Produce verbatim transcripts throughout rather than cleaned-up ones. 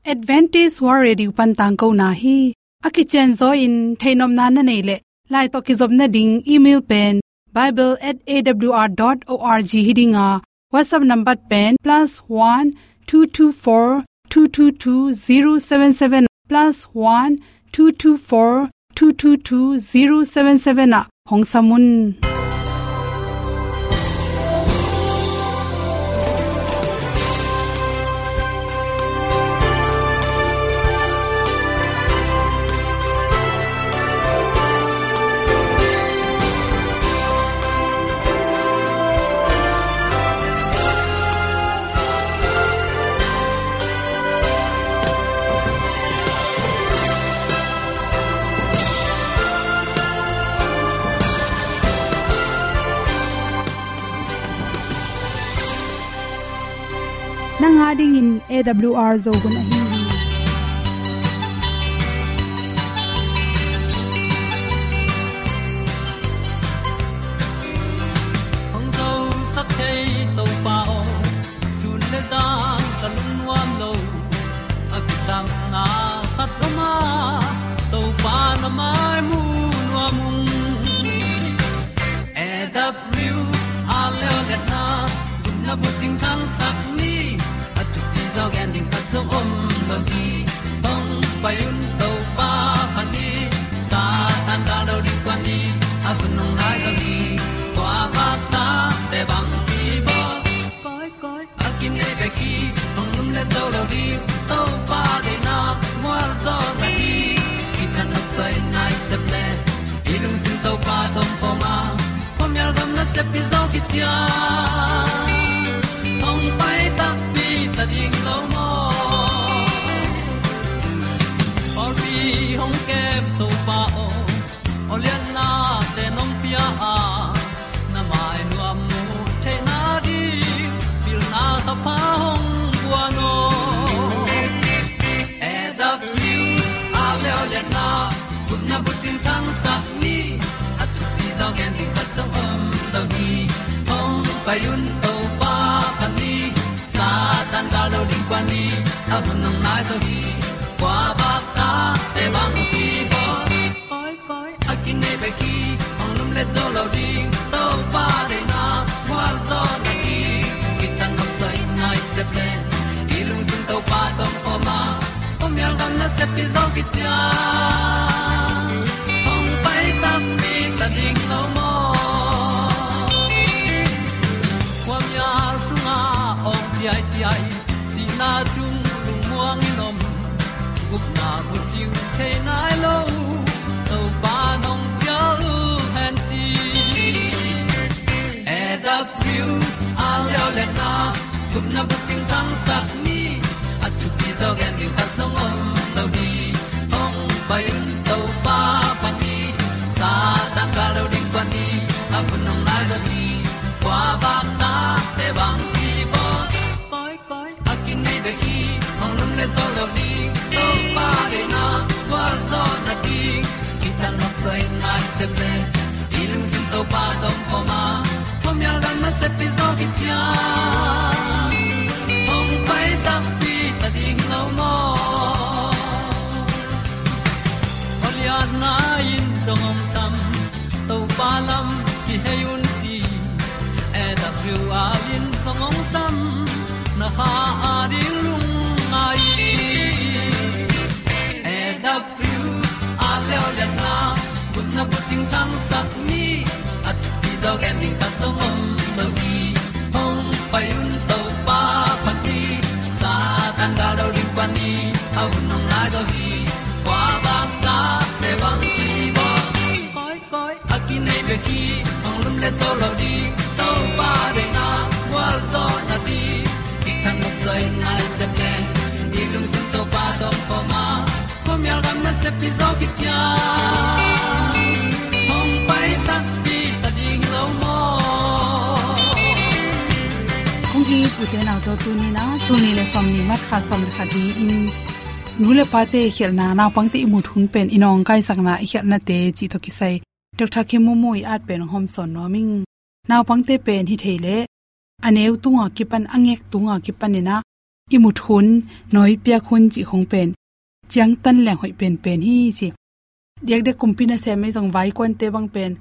Adventist World Radio pan tangkona hi. A kicianzaw in theihnopna na neih leh, lai tawh kizopna ding email pen bible at A W R dot org hi ding a, WhatsApp number pen plus one two two four two two two zero seven seven, plus one two two four two two two zero seven seven ah hong sam un. Nang a dingin A W R Zo hun ahi hi. Hong zosak thei Topa aw, sun le zan ka lungnuam lo. A kisapna khat om a, Topa na mai mu nuam ung. A W R leo liatna, gupna bucing thangsak ni. A thupi zaw gen ding khat zong om lo hi. Hong pai un Topa phat ni. Satan gal lo ding kuan ni. A hun hong nai zo hi. Kua bak ta te bang ki bawl. Koi, koi, a kinei bek hi, hong lumlet zo lo ding. Topa deihna mual zaw na hi. Kithat nopsai nai sep le, i lungsim Topa tawh om khawm a, khuamial gam nasep hi zaw khit ciang, hong pai takpi ta ding lo maw. Pawlpi hong kem Topa aw, aw liatnate nong pia a, na mai nuam mu theihna ding pilna thapha hong guan aw. A W R leo liatna, gupna bucing thangsak ni. A thupi zaw gen ding khat zong om lo hi. Hong pai un Topa phat ni. Satan gal lo ding kuan ni. A hun hong nai zo hi. Kua bak ta te bang ki bawl. Koi, koi, a kinei bek hi, hong lumlet zo lo ding. Topa deihna mual zaw na hi. Kithat nopsai nai sep le, i lungsim Topa tawh om khawm a, khuamial gam nasep hi zaw khit ciang, hong pai takpi ta ding lo maw. Khuamial sungah awng ciaiciai, sihna sung lungmuang in om, gupna bucing thei nai lo, Topa nong cial hen ci. A W R leo liatna, gupna bucing thangsak ni. A thupi zaw gen ding khat zong om lo hi. Hong pai un Topa phat ni. Satan gal lo ding kuan ni. A hun hong nai zo hi. Kua bak ta te bang ki bawl. Koi, koi, a kinei bek hi, hong lumlet zo lo ding. Topa deihna gualzawhna ding, kithat nopsai nai sep le, i lungsim Topa tawh om khawm a, khuamial gam nasep hi zaw khit ciang, hong pai takpi ta ding lo maw. Aw liatna in zong hong sam, Topa lam kihei un ci. A W R in zong hong sam, na kha a ding lungngai. A W R leo liatna, gupna bucing thangsak ni. A thupi zaw gen ding khat zong om lo hi. Hong pai un Topa phat ni. Satan gal lo ding kuan ni. A hun hong nai zo hi. Kua bang ta te bang ki bawl. Koi, koi, a kinei bek hi, hong lumlet zo lo ding. Topa deihna gualzawhna ding, kithat nopsai nai sep le, i lungsim Topa tawh om khawm a, khuamial gam nasep hi zaw khit ciang, hong pai takpi ta ding lo maw. Kong it ute naute, tuni-in ah, tuni le sawmnih March kha sawm le khat hi-in, nu le pate khialhna, naupangte ihmut hun pen i nawngkaisakna, i khialhnate cih tawh kisai Doctor Khem Momo i at pen hong hawmsawn nuam ing. Naupangte pen hi thei leh, a neu tunga kipan, a ngek tunga kipan in ah, i mut hun, nawi piak hun cih khong pen ciangtan leng hoih penpen hi ci. Diakdiak kumpi nasem ei zong vaikuante bang pen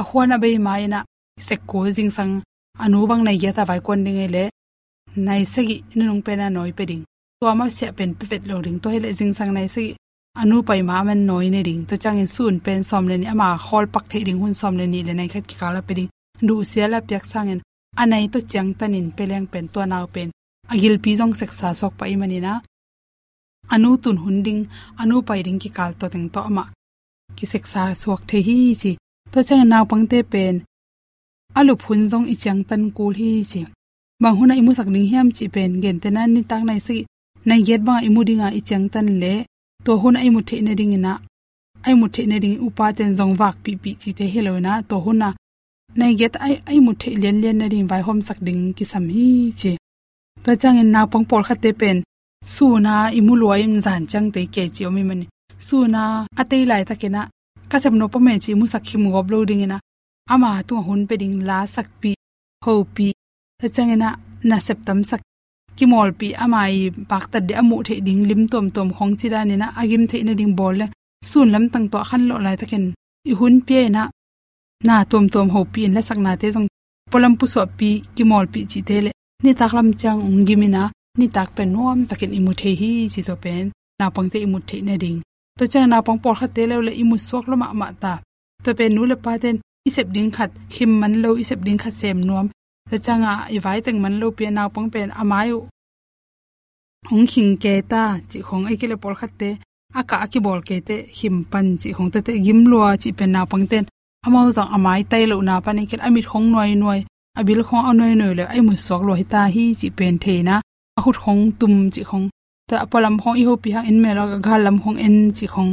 a huan a bei ma-in ah sek kul, zingsang a nu bang nai giat a vaikuan ding ei leh nai sagih nunung pen a nawi pia ding. Tua masiah pen pia vet lo ding. Tua hi leh zingsang nai sagih a nu pai ma a man nawi ne ding. Tua ciangin sun pen sawm le nih, ama khawl pak theih ding hun sawm le nih le nai khat kikal a pia ding. Duhsia la piak sangin a nai tawh ciangtanin pia leng pen tua nau pen a gilpi zong seksa suak pah ahih manin ah a nu tun hun ding, a nu pai ding kikal tua teng tawh amah kiseksa suak thei hi ci. Tua ciangin naupangte pen a lup hun zong i ciangtan kul hi ci. Bang hun ah i musak ding hiam cih pen, gentehna nitak nai sagih, nai giat bang ah i mu ding a i ciangtan leh tua hun ah i mut theih nadingin ah, a i mut theih nading upaten zong vakpihpih cihte hi lo-in ah, tua hun ah nai giat a i, a i mut theih lianlian nading vaihawmsak ding kisam hi ci. Tua ciangin naupang pawlkhatte pen sun a i mu lua in zan ciang tei kei ci om ahih manin, sun a a tei laitakin ah ka sep nop om e ci i musak khim gawp lo dingin ah ama tungah hun pia ding, lasakpih, hopih, tua ciangin ah nasep tamsak, kimawlpih, ama i paktat ding, a muh theih ding lim tuamtuam khong ci danin ah a gim theih nading bawl leng sun lamtang tua a khanlawh laitakin i hun pia-in ah na tuamtuam hopih in, lasaknate zong pualam pusuahpih, kimawlpih cihte leh nitak lam ciang hong gim-in ah nitak pen nuamtakin i mu thei hi ci. Tua pen naupangte i mut theih nading. Tua ciang naupang pawlkhatte lo leh i mut suak lua mahmah ta. Tua pen nu le paten i sep ding khat khim man lo, i sep ding khat sem nuam. Tua ciangah i vai teng man lopi-a naupang pen a mai uh hong khing kei ta cih khong, ahih kei leh pawlkhatte a kah a kibawl keite khim pan cih khong, tua teh gim lua cih pen naupangten amau zong a mai tai lohna pan, ahih kei leh a mit khong nuainuai, a bil khong a nuainuai leh a i mut suak lua hi ta hi cih pen thei-in ah a khut khong tum cih khong, tua a pualam khong i hopih hang en mel a, a gal lam khong en cih khong,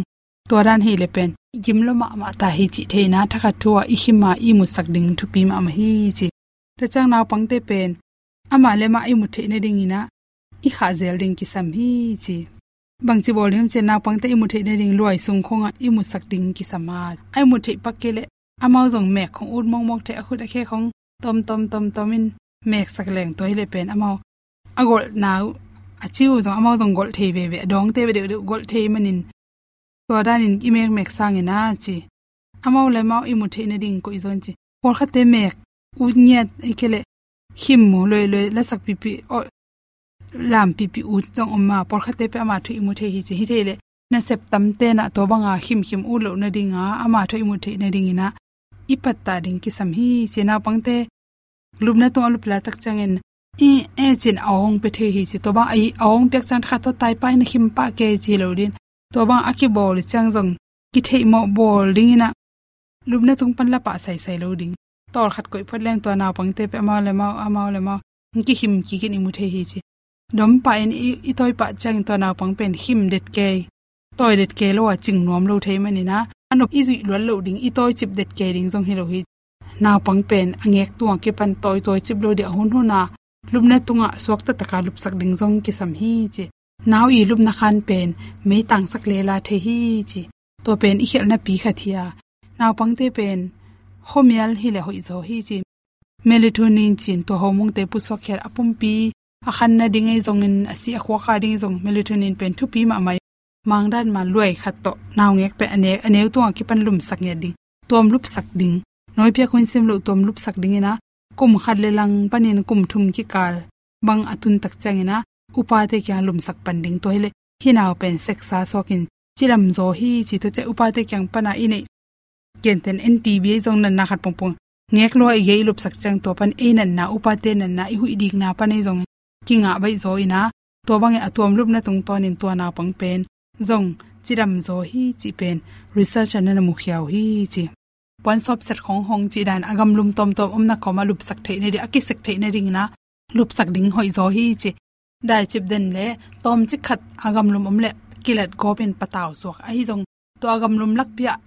tua dan hi leh pen i gim lua mahmah ta hi cih thei-in ah thakhat thu-a i khim a i mutsak ding thupi mahmah hi ci. Tua ciang naupangte pen amah le amah i mut theih nadingin ah i khah zel ding kisam hi ci. Bangci bawl ding hiam cih leh naupangte i mut theih nading luai sung khongah i mutsak ding kisam a, a i mut theih pak kei leh amau zong mek khong ut mawkmawk thei, a khut a khe khong tawmtawm tawmtawm in meksak leng, tua hi leh pen amau a golhna uh, a ci uh zong amau zong golh thei veve, a dawngte ve deuhdeuh golh thei manin tua danin i mekmek sangin ah ci. Amau le amau i mut theih nading koih zaw in ci. Pawlkhatte mek ut ngiat, ahih kei leh khim mu luailuai, lasak pihpih, aw, lam pihpih ut zong om a, pawlkhatte pen ama thu i mu thei hi ci. Hi thei leh nasep tamten ah tua banga khimkhim ut loh nadinga ama thu i mut theih nadingin ah i pattah ding kisam hi ci. Naupangte lupna tungah lup laitak ciangin i e cin a awng pia thei hi ci. Tua bang a awng piak ciang thakhat tawh tai pah in, a khim pah kei ci lo ding. Tua bang a kibawl ciang zong kitheihmawh bawl dingin ah lupna tung pan la pah saisai lo ding. Tawl khat koih phot leng tua naupangte pen amau le amau, amau le amau hong kikhim kik in i mu thei hi ci. Dom pah in i, i tawi pah ciangin tua naupang pen khim det kei, tawi det kei lo a cing nuam lo thei manin ah a nop i zuih luat loh ding, i tawicip det kei ding zong hi lo hi. Naupang pen a ngek tungah kipan tawi tawicip lo ding, a hunhun a lupna tungah suakta taka lupsak ding zong kisam hi ci. Nau i lupna khan pen meitangsak lela thei hi ci. Tua pen i khialhna pi khat hi a, naupangte pen khuamial hi leh hoih zaw hi ci. Melatonin ci-in tua hormone-te pusuak khial a pumpi a khan nading ei zongin, a si a khuak a ding ei zong melatonin pen thupi mahmah hi. Mangdan ma luai khat tawh naungek pen a ne-, a neu tungah kipan lumsak ngiat ding, tuam lupsak ding. Nawi piak hun sim loh tuam lupsak dingin ah kum khat le lang panin kum thum kikal bang a tun tak ciangin ah upate kiang lumsak pan ding. Tua hi leh hih nau pen seksa suakin cidam zaw hi ci. Tua ciang upate kiang pana i neih, gentehna N T B ei zong natna khat pongpong ngek lua i gei i lupsak ciang tua pan ei natna, upate natna, i huih dikna pan ei zong kingah baih zaw in ah, tua bangin a tuam lupna tungtawnin tua naupang pen zong cidam zaw hi cih pen research-ah na na mukhia uh hi ci. Puansawp set khong hong cih dan a gamlum tawmtawm omna kawmah lupsak theih nading, a kisek theih nadingin ah lupsak ding hoih zaw hi ci. Daicip den leh tawmcik khat a gamlum om leh kilat gawpin patau suak. Ahi zong tua a gamlum lakpi-ah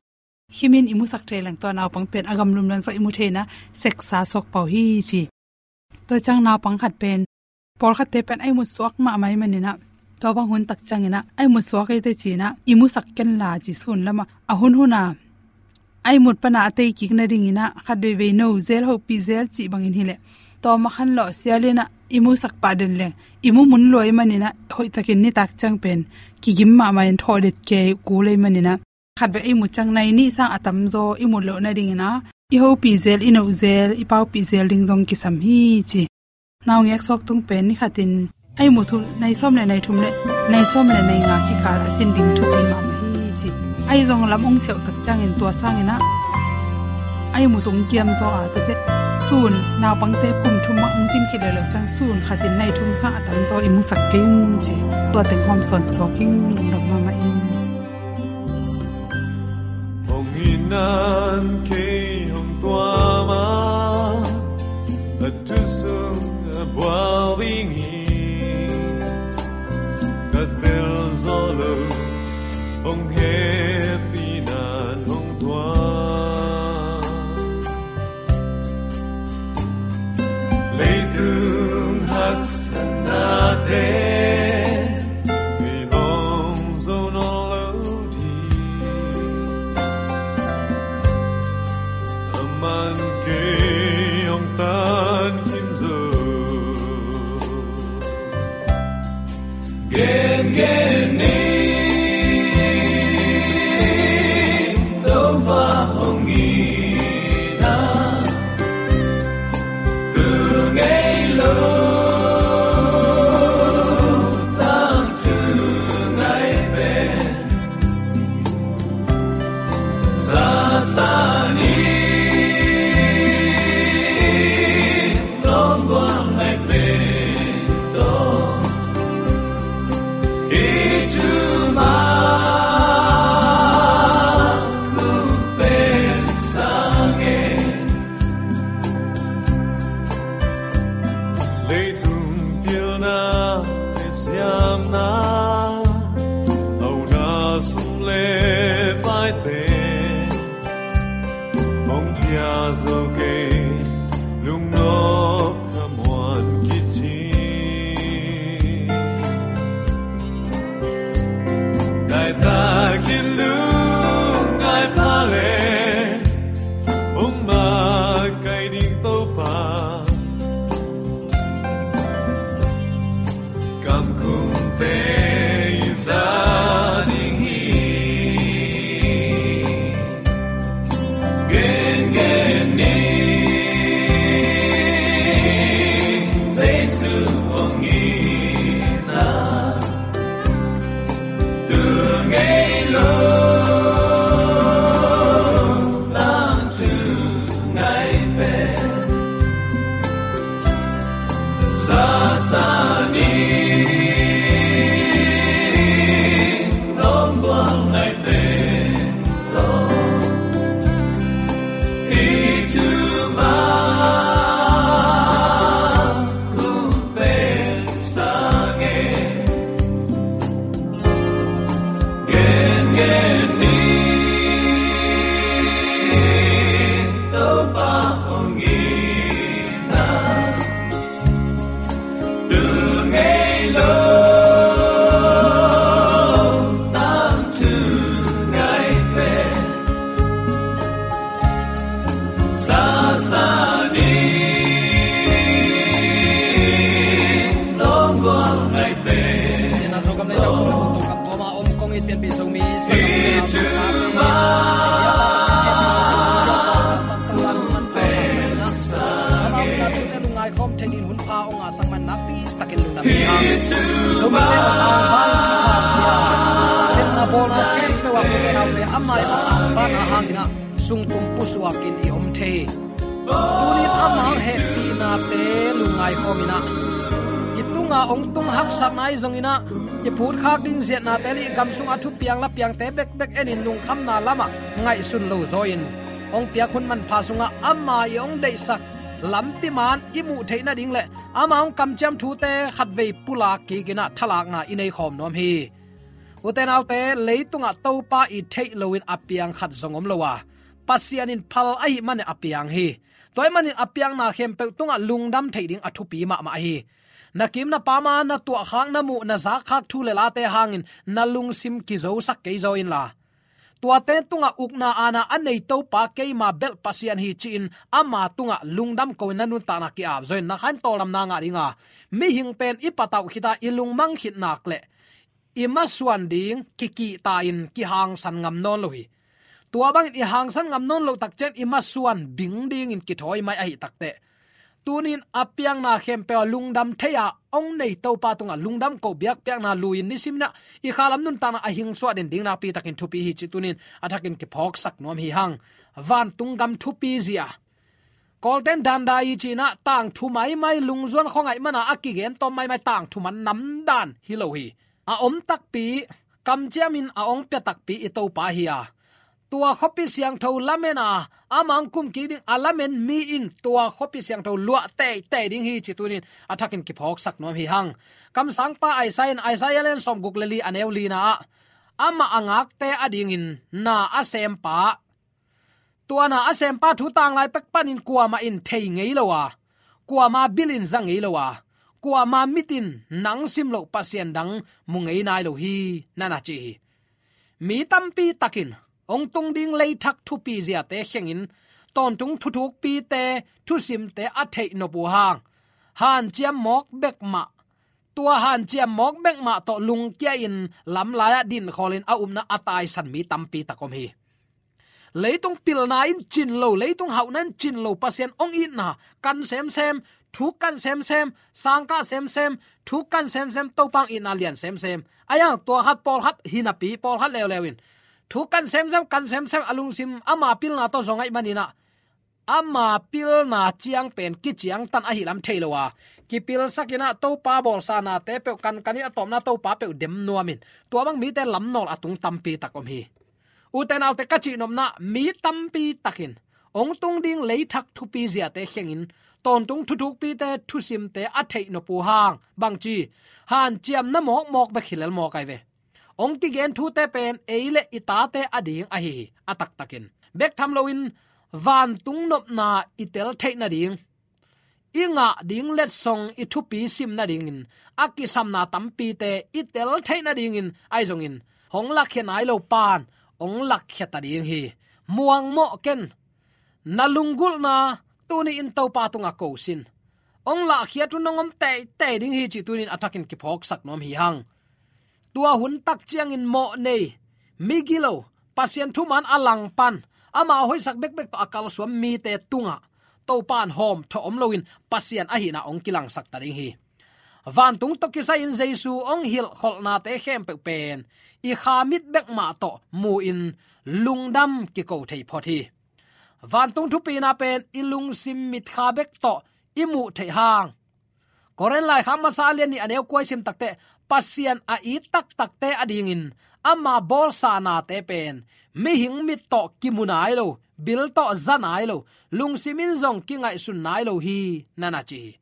khimin i musak thei leng tua naupang pen a gamlum langsang i mu thei-in ah seksa suak pah uh hi ci. Tua ciang naupang khat pen, pawlkhatte pen a i mut suak mahmah ahih manin ah, tua bang hun tak ciangin ah a i mut suak ei teh ci-in ah i musak ken la ci, sun lamah a hunhun a a i mut pana a tei kik nadingin ah khatvei vei no zel, hopih zel cih bangin hi leh tawm a khanlawh sialin ah i musak pah den leng i mu mun lua ahih manin ah, hoihtakin nitak ciang pen kigim mahmah in thawh det kei kul ahih manin ah, khatvei i mu ciang nai nih sang a tamzaw i mu loh nadingin ah, i hopih zel, i noh zel, i paupih zel ding zong kisam hi ci. Naungek suak tung pen ni khatin a i mu thu nai sawm le nai thum le nai sawm le nai nga kikal a cin ding thupi mahmah hi ci. A i zong lam hong siauh tak ciangin tua sangin ah a i mu tung kiam zaw a, tua teh sun naupangte kum thum ah hong cin khit leleu ciang sun khatin nai thum sang a tamzaw i musak kei ung ci. Tua teng hawm sawn suak ing, lungdam mahmah ing. Hong in nan kei hong tuam a, a thu sung a bual ding hi. Ka tel zaw lo, hong hehpih nan hong tuam. Leitung haksatnate i hong zo nawn lo ding. Aman kei hong tan khin zo. Gengen ni, Topa hong in a, tu ngei lo tangthu ngai pen. Sasa ni, lawm gual ngai pen tawh, i thumang hong pen sa ngen. Leitung pilna le siamna, auna sum le paite hong pia zo kei, lungnop khamuan kicing. Daitakin lungngai pha le, hong makaih ding Topa, kamkhumte i za ding hi. Gengen ni, Jesu hong in a, tu ngei lo tangthu ngai pen. Sasa ni, lawm gual ngai pen tawh, i thumang hong pen sa ngen. Gengen ni, Topa hong in a, tu ngei lo tangthu ngai pen. Sasa ni, lawm gual ngai pen. Sina so kam nei tau so kam tuama om kong it pian pi so mi. Sa i thumang hong pen sa ngen. Amau na tute lungngai khawm thei dingin hun pha hong ngah sak man nakpi takin lungdam hi hang. Sumite hong angvan kipha hi a, sepna bawlna khempeuh ah pute naute amah i hong angvanna hangin ah sungtum pusuakin i om thei hi. Tuni-in ama hehpihnate lungngai khawm in ah, i tungah hong tung haksatna ahi zongin ah, i phutkhak ding ziatnate le i gam sungah thupiang lapiangte bekbek enin lungkhamna lamah ngaihsun lo zaw-in, hong piak hun manpha sungah ama i hong deihsak lampi man i muh theih nading le ama hong kamciam thute khatvei pulak kikin ah thalakna i nei khawm nuam hi. Ute naute, leitungah Topa i theih loin a piang khat zong om lo a, Pasian in phal ahih manin a piang hi. Tua ahih manin a piakna khempeuh tungah lungdam theih ding a thupi mahmah hi. Na kim na pam a na tuahkhak, na muh na zakkhak thu le late hangin na lungsim kizosak kei zaw inla, Tuate tungah ukna aana a nei Topa keima belh Pasian hi ci-in ama tungah lungdam ko-in na nuntakna ki-ap zawin na khain tawldamna ngah dinga, mihing pen i patauh khita i lungmang khit nak leh i masuan ding kikihta-in kihangsan ngam nawn lo hi. Tua bangin i hangsan ngam nawn loh tak ciang i masuan bing dingin kithawi mai ahi takteh, tunin a piangna khempeuh a lungdam thei-a hong nei Topa tungah lungdam ko biakpiakna lui-in nisimin ah i khalam nuntakna a hingsuah den ding nakpi takin thupi hi ci tunin a thakin kiphawksak nuam hi hang. Vantung gam thupi zia, Kawlten danda i cih nah tangthu maimai, lungzuan khuangaih mana a kigen tawm maimai, tangthu man namdan hi lo hi. A om takpi, kamciamin a hong pia takpi i Topa hi a, tua khuapi siangtho lamen a, amah hong kum kik ding a lamen mi in tua khuapi siangtho luah teitei ding hi ci tunin a thakin kiphawksak nuam hi hang. Kamsangpa Isaiah in, Isaiah lian sawmguk le li a neu lina ah, amah a ngakte adingin na a sempa, tua na a sempa thu tanglai pek panin kuamah in thei ngei lo a, kuama bil in za ngei lo a, kuama mit in nang sim loh Pasian dang mu ngei nai lo hi, na na ci hi. Mi tampi takin hong tung ding leithak thupi ziate khengin, tawntung thuthukpite thusimte a theih nop uh hang, hanciam mawk bek mah, tua hanciam mawk bek mah tawh lungkia-in lamlai-ah dinkhawlin a upna a taisan mi tampi tak om hi. Leitung pilna in cin lo, leitung hauhna in cin lo, Pasian hong itna kan semsem, thuk kan semsem, sangkah semsem, thuk kan semsem, Topa hong itna lian semsem. Ahi hang tua khat pawlkhat hinapi, pawlkhat leuleu in thuk kan semsem, kan semsem, a lungsim ama pilna tawh zong ahih manin ah, ama pilna ciang pen kiciangtan ahi lam thei lo a, kipilsakin ah Topa bawlsa nate peuh kankanin a tawpna Topa peuh dem nuamin, tua bang mite lamnawl a tung tampi tak om hi. Ute naute, ka cihnopna, mi tampi takin hong tung ding leithak thupi ziate khengin, tawntung thuthukpite thusimte a theih nop uh hang, bangci, hanciamna mawkmawk bek hi lel mawk ahi ve. Hong kigen thute pen ei le i tate ading ahi hi, a taktakin. Bek tham loin vantung nopna i tel theih nading, i ngah ding letsong i thupi sim nadingin a kisamna tampite i tel theih nadingin ahi zongin, hong lakkhia nai lo pan hong lakkhia ta ding hi. Muangmawh ken, na lunggulhna tuni-in Topa tungah ko sin. Hong lahkhiat uh nong om teitei ding hi cih tunin a thakin kiphawksak nuam hi hang. Tua hun tak ciangin mawh nei, migilo, Pasian thuman a langpan, ama hoihsak bekbek tawh a kalsuan mite tungah Topa in hawmthawh om loin Pasian ahihna hong kilangsak ta ding hi. Vantung tawh kisai-in Jesu hong hilhkholhnate khempeuh pen i kha mit bek mah tawh mu-in lungdam kiko thei phot hi. Vantung thupina pen i lungsim mitkha bek tawh i muh theih hang. Korin laikhak masa a lian nih a neu kua i sim takteh, Pasian a it taktakte adingin ama bawlsa nate pen mihing mit tawh kimu nai lo, bil tawh za nai lo, lungsim in zong kingaihsun nai lo hi, na na ci hi.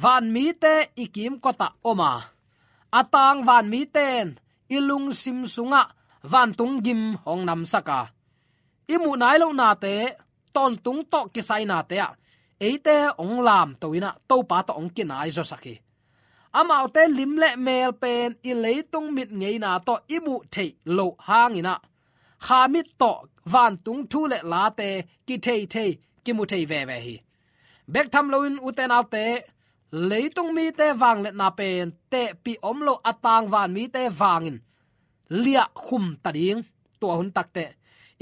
Vanmite i kimkotah om a, a tang vanmite in i lungsim sungah vantung gim hong namsak a, i muh nai loh nate, tawntung tawh kisai nate ah eite hong lamto in ah Topa tawh hong kinai zawsak hi. Amaute lim le mel pen i leitung mit ngeina tawh i muh theih loh hangin ah, kha mit tawh vantung thu le late kithei thei, kimu thei veve hi. Bek tham loin ute naute, leitung mite vangliatna pen tehpih om lo, a tang vanmite vangin liahkhum ta ding. Tua hun takteh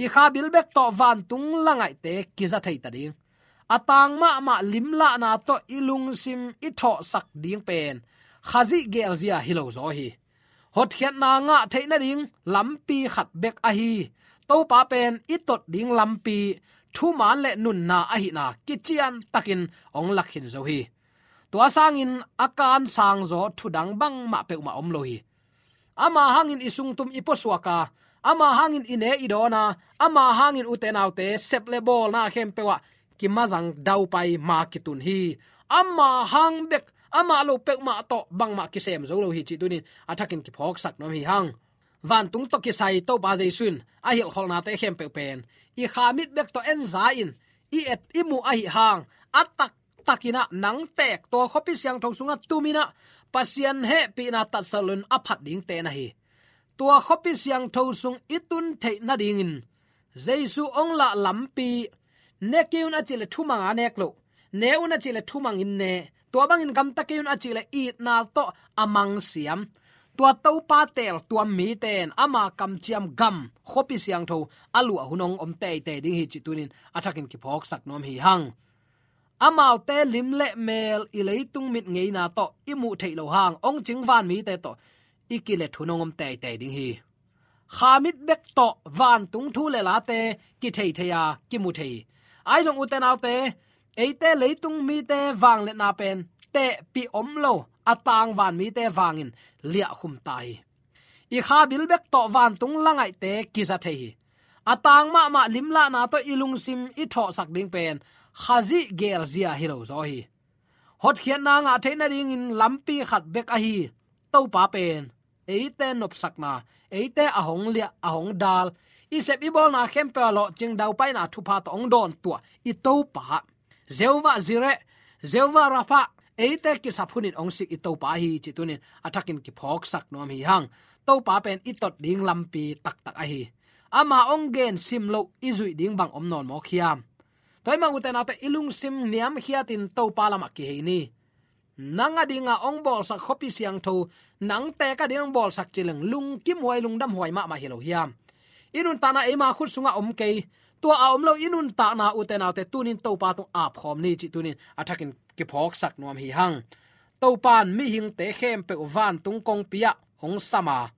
i kha bil bek tawh vantung langaihte kiza thei ta ding. A tang mahmah limlahna tawh i lungsim i thawhsak ding pen Khazih gelzia hi lo zaw hi. Hotkhiatna ngah theih nading lampi khat bek ahi, Topa pen i tot ding lampi, thuman le nunna ahihna kician takin hong lakkhin zo hi. Tua sangin a kan sangzaw thudang bangmah peuhmah om lo hi. Ama hangin i sungtum i puasuak a, ama hangin i ne i dawn a, ama hangin ute naute sep le bawlna khempeuh ah kimazang daupai ma kitun hi. Ama hang bek, amah lo peuhmah tawh bangmah kisem zo lo hi cih tunin a thakin kiphawksak nuam hi hang. Vantung tawh kisai Topa Jesu in a hilhkholhnate khempeuh pen i kha mit bek tawh en za-in i et i muh ahi hang, a taktakin ah nang teek tua khuapi siangtho sungah tumin ah Pasian hehpihna tatsa loin a phat dingte na hi. tua khuapi siangtho sung i tun theih nadingin Jesu hong lah lampi ne kei un a cih leh thumang a nek loh, ne un a cih leh thumangin ne, tua bangin gamta kei un a cih leh itna tawh a mangsiam tua Topa teel tuam mite in ama kamciam gam khuapi siangtho a luah hun hong om teitei ding hi cih tunin a thakin kiphawksak nuam hi hang. Amaute lim le mel i leitung mit ngeina tawh i muh theih loh hang hong cing van mite tawh i kilet hun hong om teitei ding hi. Kha mit bek tawh vantung thu le late kithei thei a, kimu thei hi. Ahi zong ute naute, eite leitung mite vangliatna pen tehpih om lo a tang van mite vangin liahkhum ta hi. I kha bil bek tawh vantung la ngaihte kiza thei hi. A tang mahmah limlahna tawh i lungsim i thawhsak ding pen Khazih geelzia hi lo zaw hi. Hotkhiatna ngah theih nadingin lampi khat bek ahi Topa pen eite nopsakna, eite a hong liah, a hong dal, i sep i bawlna khempeuh a lawhcing daupaina thupha tawh hong dawntuah i Topa, Jehovah Jireh, Jehovah Rapha, eite kisap hunin hong sik i Topa ahi cih tunin a thakin kiphawksak nuam hi hang. Topa pen i tot ding lampi taktak ahi. Ama hong gen sim loh i zuih ding bang om nawn mawk hiam? Tua ahih manin ute naute, i lungsim niamkhiatin Topa lamah kihei ni. Nang a dinga hong bawlsak khuapi siangtho, nang tek a ding hong bawlsak ci leng lungkimhuai lungdamhuai mahmah hi lo hiam? I nuntakna eima khut sungah om kei. Tua a om lo i nuntakna ute naute tunin Topa tung apkhawm ni cih tunin a thakin kiphawksak nuam hi hang. Topan mihingte khempeuh vantung kongpi ah hong sam a,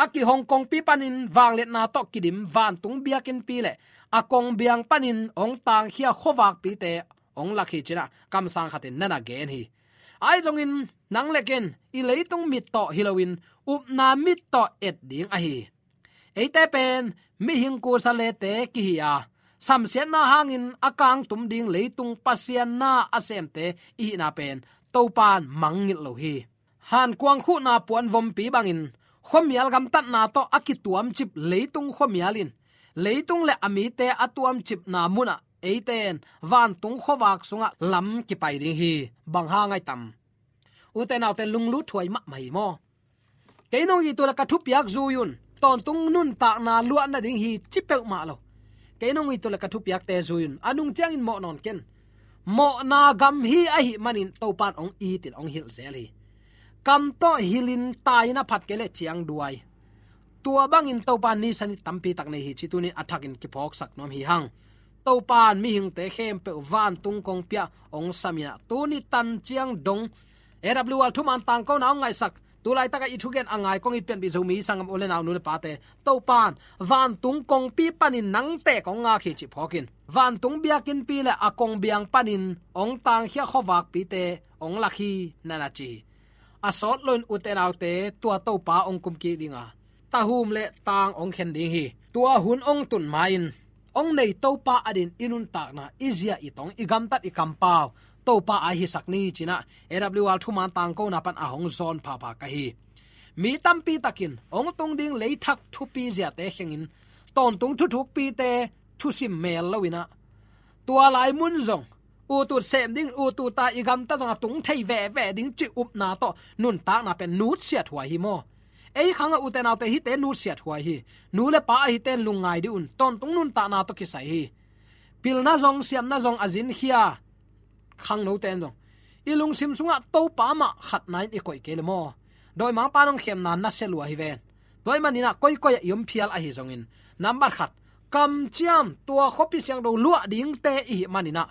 a kihong kongpi panin vangliatna tawh kidim vantung biakinnpi le a kongbiang panin hong tangkhia khuavakpite hong lak hi cinah kamsang khatin na na gen hi. Ahi zongin nang le ken i leitung mit tawh hi loin upna mit tawh et ding ahi. Eite pen mihing kusa lete kihi a, samsiatna hangin a kangtum ding leitung Pasian na a semte i hihna pen Topan mangngilh lo hi. Hankuang khuhna puanvompi bangin khuamial gamtatna tawh a kituamcip leitung khuamial in leitung le a mite a tuamcipna munah eite in vantung khuavak sungah lam kipai ding hi. Bang hang ahi tam? Ute naute, lunglut huai mahmah hi maw? Kei nong it uh le ka thupiak zui un, tawntung nuntakna luah nading hi ci peuhmah lo. Kei nong it uh le ka thupiakte zui un, a nung ciangin mawh nawn ken. Mawhna gam hi ahih manin Topan hong itin hong hilh zel hi. Kam tawh hilhin tai-in a phat kei le ciangduai. Tua bangin Topan nisan i tampi tak nei hi cih tunin a thakin kiphawksak nuam hi hang. Topan mihingte khempeuh vantung kongpi ah hong sam inah tuni tan ciang dong A W R thuman tangkona hong ngaihsak, tu laitakah i thugen a ngai kong it pianpih Zomi sanggam u le nau, nu le pate, Topan vantung kongpi panin nangte kong ngak hi cih phawkin vantung biakinnpi le a kongbiang panin hong tangkhia khuavakpite hong lak hi, na na ci hi. A sawt loin ute naute, tua Topa hong kumkik dinga tahum le tang hong khen ding hi. Tua hun hong tun ma-in hong nei Topa adin i nuntakna, i zia, i tong, i gamtat, i kampau Topa a hisak ni cinah A W R thuman tangkona pan a hong zawn phapha ka hi. Mi tampi takin hong tung ding leithak thupi ziate khengin tawntung thuthukpite thusim mel loinah tua lai mun zong utut sem ding, utut a i gamta zong a tung thei veve ding cih upna tawh nuntakna pen nutsiat huai hi maw? Ei khangah ute naute, hihte nutsiat huai hi. Nu le pa ahite lungngai dih un, tawntung nuntakna tawh kisai hi. Pilna zong siamna zong a zinkhia khangnote in zong i lungsim sungah Topa mah khatna in i koih kei le maw? Dawimangpa nong khemna nasia lua hi ven. Tua ahih maninah koikoi ah i om phial ahi zongin, nambat khat, kamciam tua khuapi siangtho luah dingte i hih maninah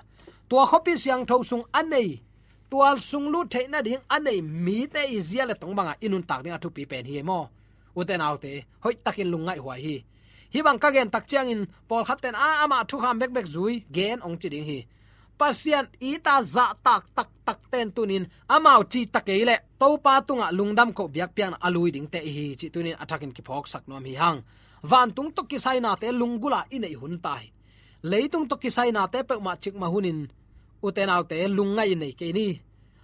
tua khuapi siangtho sung a nei, tua sung lut theih nading a nei mite i zia le tong bangah i nuntak ding a thupi pen hi maw? Ute naute, hoihtakin lungngaih huai hi. Hih bang ka gen tak ciangin pawlkhatte in a, amah thukham bekbek zui gen hong ci ding hi. Pasian ita zahtak taktakte in tunin amau cihtak kei leh Topa tungah lungdam koh biakpiakna a lui dingte i hi cih tunin a thakin kiphawksak nuam hi hang. Vantung tawh kisainate lunggulh a i neih hun ta hi. Leitung tawh kisainate peuhmah cikmah hunin ute naute, lungngaih in nei kei ni.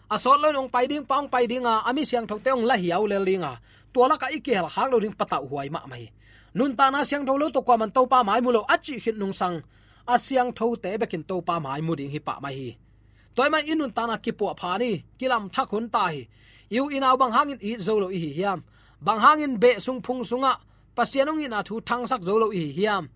A sawt loin hong pai ding pa hong pai dinga, a mi siangthote hong la hiau lel dinga, tua lakah i kihelkhak lo ding patauh huai mahmah hi. Nuntakna siangtho lo tawh kuaman Topa mai mu lo a cih khit nungsang a siangthote bekin Topa mai mu ding hi pah mai hi. Tua ahih manin i nuntakna kipuahpha ni, kilamthak hun ta hi. I u i nau bang hangin it zo lo i hi hiam? Bang hangin beh sung phung sungah Pasian hong itna thu thangsak zo lo i hi hiam?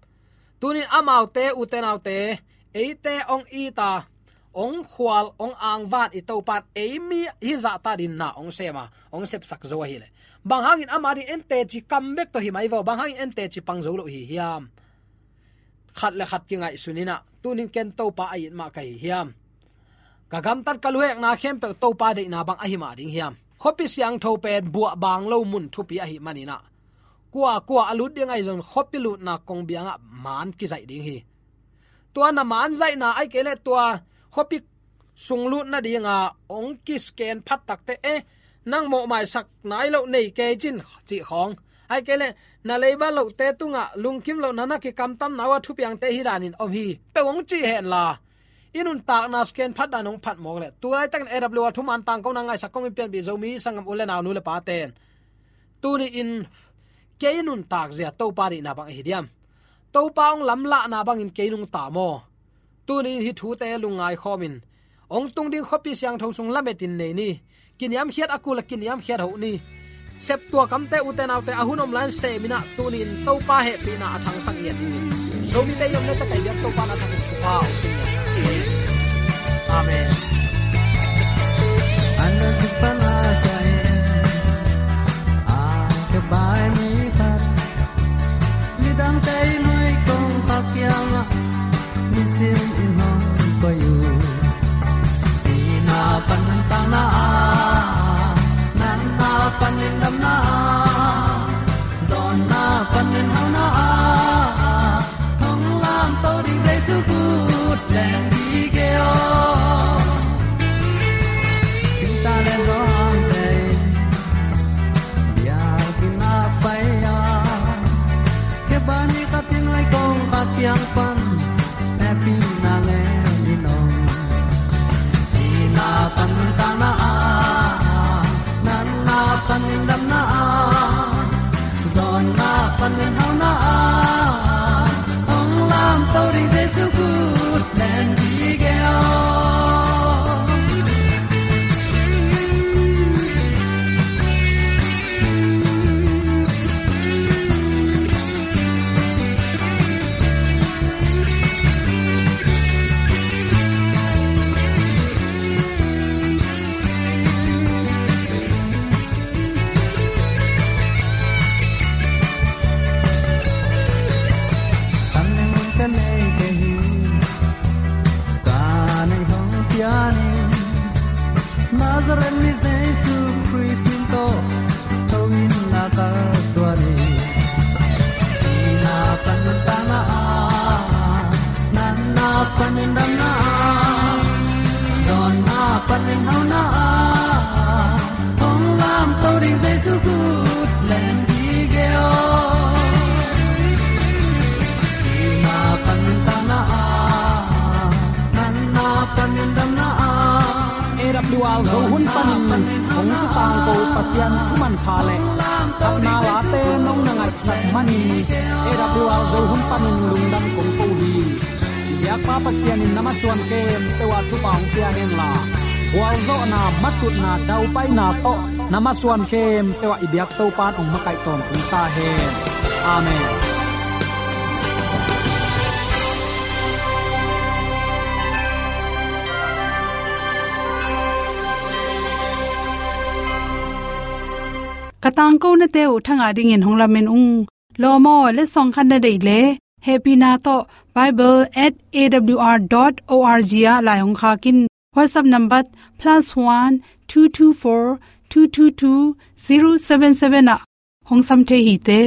Tunin amaute, ute naute, eite hong it a, hong khual, hong angvan i Topan ei mi hi zahta dingin na hong sem a, hong sepsak zo ahileh, bang hangin ama ding en teci kam bek tawh hi mai vaw, bang hangin en teci pang zo lo i hi hiam? Khat le khat kingaihsun in ah, tunin ken Topa a it mah ka hi hiam? Ka gamtat ka luhekna khempeuh Topa deihna bang ahi mah ding hiam? Khuapi siangtho pen buah bang lo mun thupi ahih manin ah, kua kua a lut ding ahi zong khuapi lutna kongbiangah man kizaih ding hi. Tua na man zaihna ahih kei leh tua khuapi sung lut nadinga hong kisken phat takteh, eh, nang mawhmaisak nai loh nei kei cin, cih khawng. Ahih kei leh na leiba lohte tungah lungkim lohna na kikamtamna uh a thupiangte hi danin om hi, peuh hong cih henla, i nuntakna sken phat dan hong phat mawk leh, tu laitakin A W R thuman tangkona ngaihsak kong in pianpih Zomi sanggam u le nau, nu le pate'n, tuni-in kei nuntak zia Topa deihna bang ahi diam? Topa hong lamlahna bangin kei nungta maw? Tuni-in hih thute lungngai khawmin, hong tung ding khuapi siangtho sung lametin nei ni. Kiniamkhiat a kul a kiniamkhiat hoh ni. Septuak amte, ute naute, a hun om lai-in sem in ah, tuni-in Topa hehpihna a thangsak ngiat ni. Zomite i omna tak ah i biak Topa na thangsak thupha hong pia. Amen. Ana zuk pan a sa in, a ka bai mi khat, midangte i nuai kong kha kiangah nisim in hong koih uh. Sihna panin tangna ah, natna panin damna ah, zawnna panin hauna ah, hong lamto ding Jesu kut len dih kei aw. Tingtang le zawngte in biakinn ah pai a, khe bai mi khat i nuai kong kha kiang pan hehpihna ngen in om. Sihna panin tangna ah, natna panin damna ah, zawnna panin hauna ah, hong lamto ding Jesu kut len dih kei aw. Kan nei mun ka nei kei hi, ka neih hong pian in, Nazareth mi Jesu Khrist min tawh tho in, na ka suan hi. Sihna panin tangna ah, natna panin damna ah, zawnna panin hauna ah, hong lamto ding Jesu kut len dih kei aw. Sihna panin tangna ah, natna panin damna ah, A W R Zo hun panin hong kitangko Pasian thu manpha le phatna late nong na ngaihsak manin, A W R Zo hun panin lungdam kong ko hi. I biakpa Pasian in na masuan khempeuh ah thupha hong pia henla, gualzawhna, matutna, daupaina tawh na masuan khempeuh ah i biak Topa'n hong makaih tawntung ta hen. Amen. Ka tangkonate uh thangah dingin hong lamen ung. Lawm aw, letsong khat na deih leh, hehpihna tawh bible at A W R dot O R G ah lai hong khak in. WhatsApp number plus one two two four two two two zero seven seven ah hong sam thei hi te.